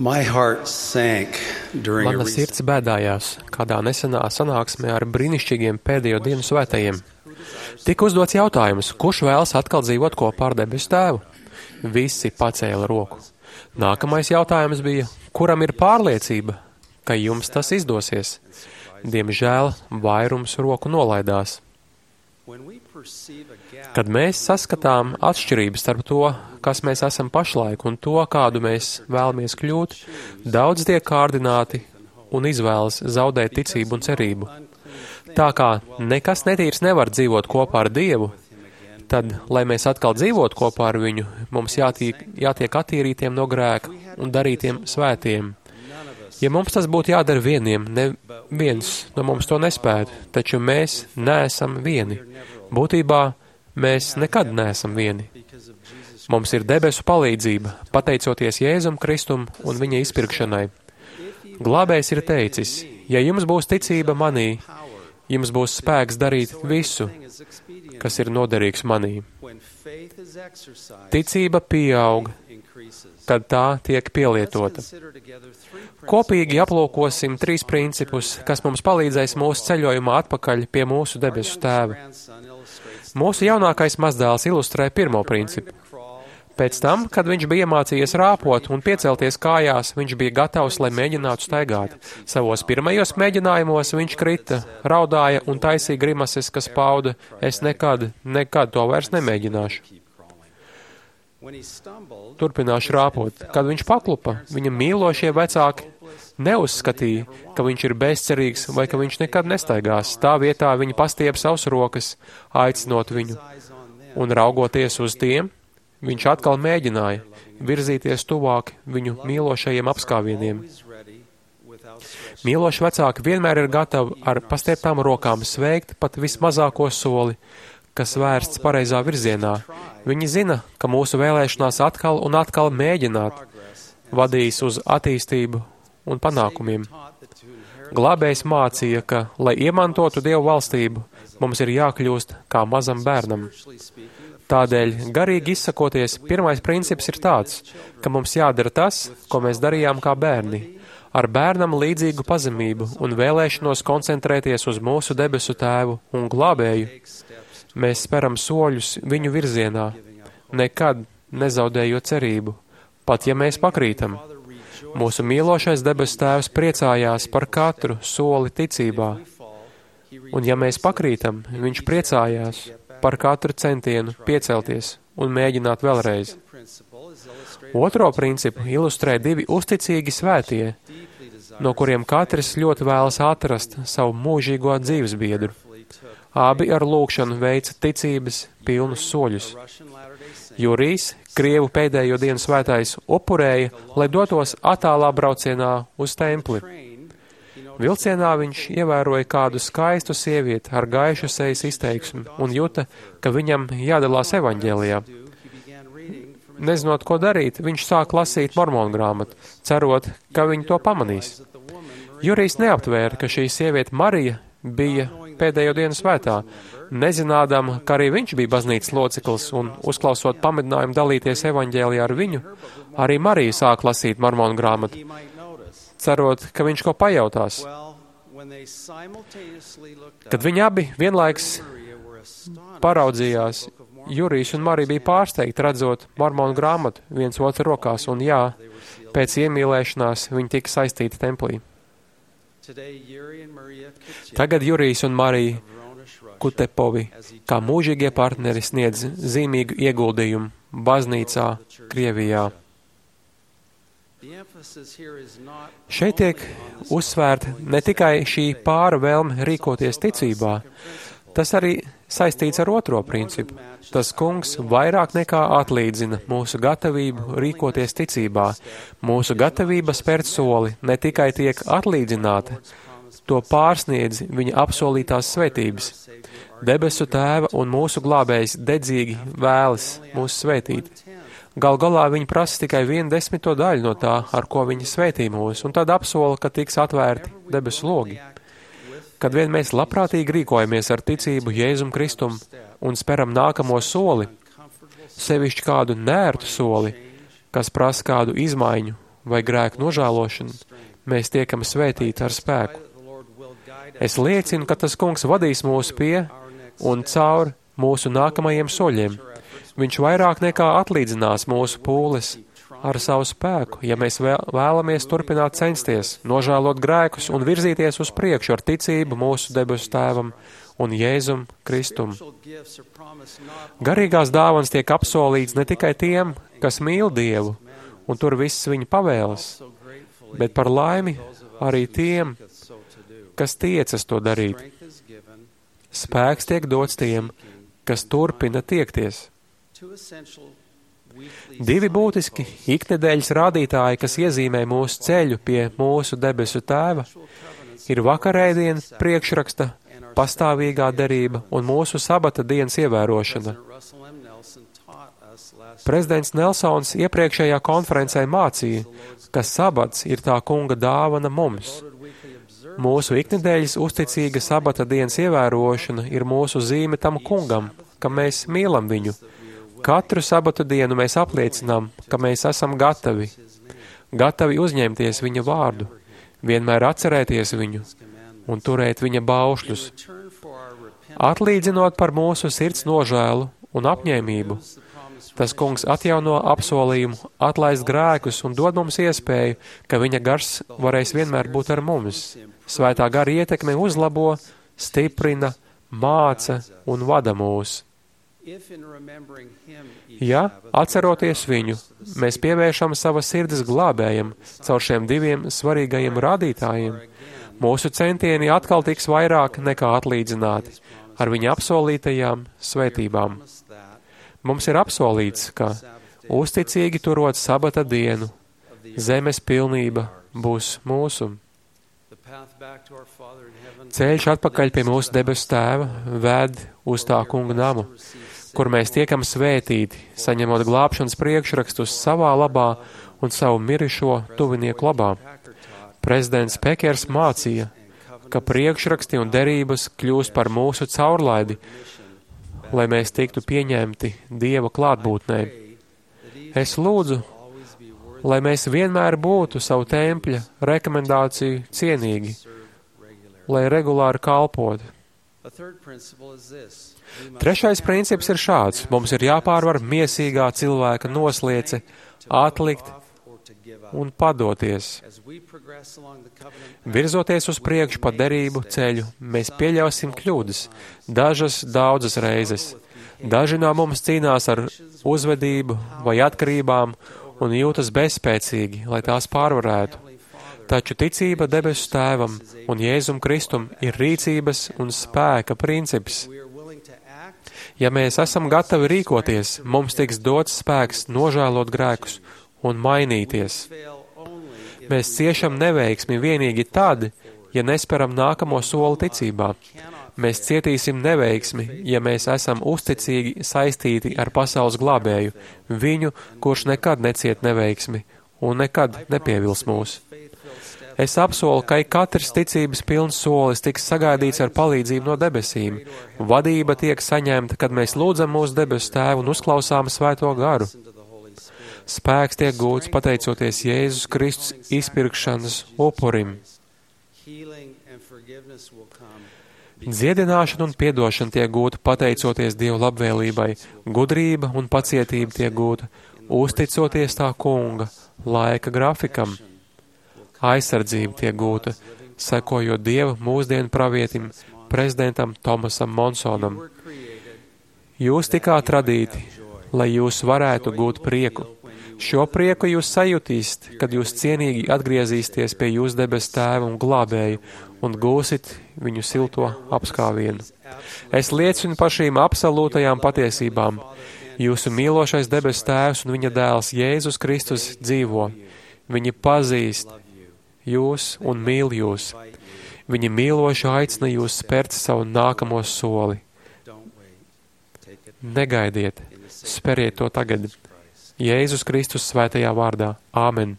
My heart sank during a Mana sirds bēdājās kādā nesenā sanāksmē ar brīnišķīgiem pēdējo dienu svētajiem. Tika uzdots jautājums, kurš vēlas atkal dzīvot kopā ar debesu tēvu? Visi pacēla roku. Nākamais jautājums bija, kuram ir pārliecība, ka jums tas izdosies? Diemžēl vairums roku nolaidās. Kad mēs saskatām atšķirības starp to, kas mēs esam pašlaik un to, kādu mēs vēlamies kļūt, daudz tiek kārdināti un izvēlas zaudēt ticību un cerību. Tā kā nekas netīrs nevar dzīvot kopā ar Dievu, tad, lai mēs atkal dzīvotu kopā ar viņu, mums jātiek attīrītiem no grēka un darītiem svētiem. Ja mums tas būtu jādara vieniem, neviens no mums to nespētu, taču mēs neesam vieni. Būtībā mēs nekad neesam vieni. Mums ir debesu palīdzība, pateicoties Jēzum Kristum un viņa izpirkšanai. Glābējs ir teicis, ja jums būs ticība manī, jums būs spēks darīt visu, kas ir noderīgs manī. Ticība pieaug, kad tā tiek pielietota. Kopīgi aplūkosim 3 principus, kas mums palīdzēs mūsu ceļojumā atpakaļ pie mūsu debesu tēva. Mūsu jaunākais mazdēls ilustrē pirmo principu. Pēc tam, kad viņš bija iemācījies rāpot un piecelties kājās, viņš bija gatavs, lai mēģinātu staigāt. Savos pirmajos mēģinājumos viņš krita, raudāja un taisīja grimases, kas pauda, es nekad to vairs nemēģināšu. Turpināšu rāpot. Kad viņš paklupa, viņa mīlošie vecāki neuzskatīja, ka viņš ir bezcerīgs vai ka viņš nekad nestaigās. Tā vietā viņi pastiep savus rokas, aicinot viņu. Un raugoties uz tiem, viņš atkal mēģināja virzīties tuvāk viņu mīlošajiem apskāvieniem. Mīloši vecāki vienmēr ir gatavi ar pastieptām rokām sveikt pat vismazāko soli, kas vērsts pareizā virzienā. Viņi zina, ka mūsu vēlēšanās atkal un atkal mēģināt vadīs uz attīstību un panākumiem. Glābējs mācīja, ka, lai iemantotu Dievu valstību, mums ir jākļūst kā mazam bērnam. Tādēļ, garīgi izsakoties, pirmais princips ir tāds, ka mums jādara tas, ko mēs darījām kā bērni, ar bērnam līdzīgu pazemību un vēlēšanos koncentrēties uz mūsu debesu tēvu un glābēju. Mēs speram soļus viņu virzienā, nekad nezaudējot cerību, pat ja mēs pakrītam. Mūsu mīlošais debesu tēvs priecājās par katru soli ticībā, un ja mēs pakrītam, viņš priecājās par katru centienu piecelties un mēģināt vēlreiz. Otro principu ilustrē 2 uzticīgi svētie, no kuriem katrs ļoti vēlas atrast savu mūžīgo dzīvesbiedru. Abi ar lūgšanu veica ticības pilnus soļus. Jurijs, Krievu pēdējo dienu svētais, upurēja, lai dotos attālā braucienā uz templi. Vilcienā viņš ievēroja kādu skaistu sievieti ar gaišu sejas izteiksmi un juta, ka viņam jādalās evaņģēlijā. Nezinot, ko darīt, viņš sāk lasīt mormonu grāmatu, cerot, ka viņi to pamanīs. Jurijs neaptvēra, ka šī sieviete Marija bija pēdējo dienu svētā, nezinādam, ka arī viņš bija baznīcas loceklis un, uzklausot pamudinājumu dalīties evaņģēlijā ar viņu, arī Marija sāk lasīt mormonu grāmatu, cerot, ka viņš ko pajautās. Kad viņi abi vienlaiks paraudzījās, Jurijs un Marija bija pārsteigti redzot mormonu grāmatu viens otru rokās, un jā, pēc iemīlēšanās viņi tika saistīti templī. Tagad Jurijs un Marija Kutepovi kā mūžīgie partneri sniedz zīmīgu ieguldījumu baznīcā Krievijā. Šeit tiek uzsvērta ne tikai šī pāra vēlme rīkoties ticībā, tas arī saistīts ar otro principu. Tas kungs vairāk nekā atlīdzina mūsu gatavību rīkoties ticībā. Mūsu gatavība spērt soli ne tikai tiek atlīdzināta, to pārsniedz viņa apsolītās svētības. Debesu tēva un mūsu glābējs dedzīgi vēlas mūs svētīt. Gal galā viņi prasa tikai 1/10 daļu no tā, ar ko viņi svētī mūs, un tad apsola, ka tiks atvērti debesu logi. Kad vien mēs labprātīgi rīkojamies ar ticību Jēzum Kristum un speram nākamo soli, sevišķi kādu nērtu soli, kas prasa kādu izmaiņu vai grēku nožēlošanu, mēs tiekam svētīti ar spēku. Es liecinu, ka tas Kungs vadīs mūs pie un caur mūsu nākamajiem soļiem. Viņš vairāk nekā atlīdzinās mūsu pūles ar savu spēku, ja mēs vēlamies turpināt censties, nožēlot grēkus un virzīties uz priekšu ar ticību mūsu debesu Tēvam un Jēzum Kristum. Garīgās dāvanas tiek apsolīts ne tikai tiem, kas mīl Dievu un tur visas viņa pavēles, bet par laimi arī tiem, kas tiecas to darīt. Spēks tiek dots tiem, kas turpina tiekties. Divi būtiski iknedēļas rādītāji, kas iezīmē mūsu ceļu pie mūsu debesu Tēva, ir vakarēdiena priekšraksta, pastāvīgā derība un mūsu sabata dienas ievērošana. Prezidents Nelsons iepriekšējā konferencē mācīja, ka sabats ir tā Kunga dāvana mums. Mūsu iknedēļas uzticīga sabata dienas ievērošana ir mūsu zīme tam Kungam, ka mēs mīlam viņu. Katru sabatu dienu mēs apliecinām, ka mēs esam gatavi uzņemties viņa vārdu, vienmēr atcerēties viņu un turēt viņa baušļus, atlīdzinot par mūsu sirds nožēlu un apņēmību. Tas Kungs atjauno apsolījumu, atlaist grēkus un dod mums iespēju, ka viņa gars varēs vienmēr būt ar mums. Svētā gara ietekme uzlabo, stiprina, māca un vada mūs. Ja, atceroties viņu, mēs pievēršam savas sirdis glābējam caur šiem diviem svarīgajiem rādītājiem, mūsu centieni atkal tiks vairāk nekā atlīdzināti ar viņa apsolītajām svētībām. Mums ir apsolīts, ka uzticīgi turot sabata dienu, zemes pilnība būs mūsu. Ceļš atpakaļ pie mūsu debesu Tēva ved uz tā Kunga namu, kur mēs tiekam svētīti, saņemot glābšanas priekšrakstus savā labā un savu mirušo tuvinieku labā. Prezidents Pekers mācīja, ka priekšraksti un derības kļūst par mūsu caurlaidi, lai mēs tiktu pieņemti Dieva klātbūtnē. Es lūdzu, lai mēs vienmēr būtu savu tempļa rekomendāciju cienīgi, lai regulāri kalpotu. Trešais princips ir šāds. Mums ir jāpārvar miesīgā cilvēka nosliece, atlikt un padoties. Virzoties uz priekšu pa derību ceļu, mēs pieļausim kļūdas, daudzas reizes. Daži no mums cīnās ar uzvedību vai atkarībām un jūtas bezspēcīgi, lai tās pārvarētu. Taču ticība debesu Tēvam un Jēzum Kristum ir rīcības un spēka princips. Ja mēs esam gatavi rīkoties, mums tiks dots spēks nožēlot grēkus un mainīties. Mēs ciešam neveiksmi vienīgi tad, ja nesperam nākamo soli ticībā. Mēs cietīsim neveiksmi, ja mēs esam uzticīgi saistīti ar pasaules glābēju, viņu, kurš nekad neciet neveiksmi un nekad nepievils mūs. Es apsolu, ka katrs ticības pilns solis tiks sagaidīts ar palīdzību no debesīm. Vadība tiek saņemta, kad mēs lūdzam mūsu debesu Tēvu un uzklausām Svēto garu. Spēks tiek gūts pateicoties Jēzus Kristus izpirkšanas upurim. Dziedināšana un piedošana tiek gūta pateicoties Dieva labvēlībai, gudrība un pacietība tiek gūta, uzticoties tā Kunga laika grafikam. Aizsardzība tiek gūta, sekojot Dieva mūsdienu pravietim, prezidentam Tomasam Monsonam. Jūs tikāt radīti, lai jūs varētu gūt prieku. Šo prieku jūs sajutīsiet, kad jūs cienīgi atgriezīsieties pie jūsu debesu Tēva un glābēja un gūsit viņu silto apskāvienu. Es liecinu par šīm absolūtajām patiesībām. Jūsu mīlošais debesu Tēvs un viņa dēls Jēzus Kristus dzīvo. Viņi pazīst jūs un mīl jūs. Viņi mīloši aicina jūs spērt savu nākamo soli. Negaidiet, speriet to tagad. Jēzus Kristus svētajā vārdā. Āmen.